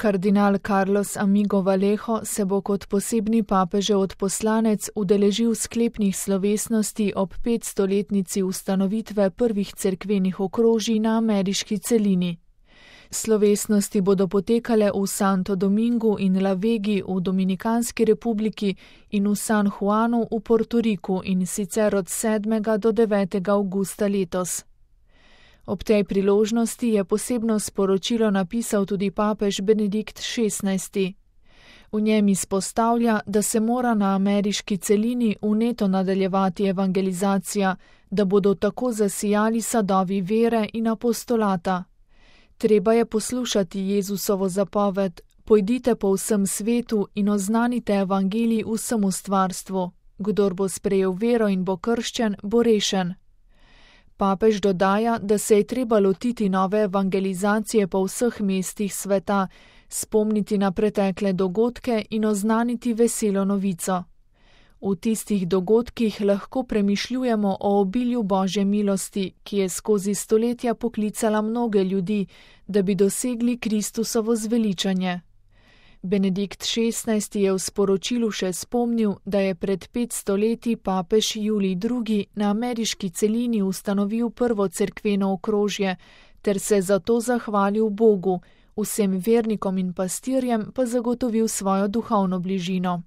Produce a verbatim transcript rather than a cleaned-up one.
Kardinal Carlos Amigo Vallejo se bo kot posebni papežev odposlanec udeležil sklepnih slovesnosti ob petstoletnici ustanovitve prvih cerkvenih okrožij na ameriški celini. Slovesnosti bodo potekale v Santo Domingu in La Vegi v Dominikanski republiki in v San Juanu v Portoriku, in sicer od sedmega do devetega avgusta letos. Ob tej priložnosti je posebno sporočilo napisal tudi papež Benedikt šestnajsti. V njem izpostavlja, da se mora na ameriški celini vneto nadaljevati evangelizacija, da bodo tako zasijali sadovi vere in apostolata. Treba je poslušati Jezusovo zapoved: pojdite po vsem svetu in oznanite evangelij vsemu stvarstvu. Kdor bo sprejel vero in bo krščen, bo rešen. Papež dodaja, da se je treba lotiti nove evangelizacije po vseh mestih sveta, spomniti na pretekle dogodke in oznaniti veselo novico. V tistih dogodkih lahko premišljujemo o obilju Božje milosti, ki je skozi stoletja poklicala mnoge ljudi, da bi dosegli Kristusovo zveličanje. Benedikt šestnajsti je v sporočilu še spomnil, da je pred petsto leti papež Julij drugi. na ameriški celini ustanovil prvo cerkveno okrožje ter se zato zahvalil Bogu, vsem vernikom in pastirjem pa zagotovil svojo duhovno bližino.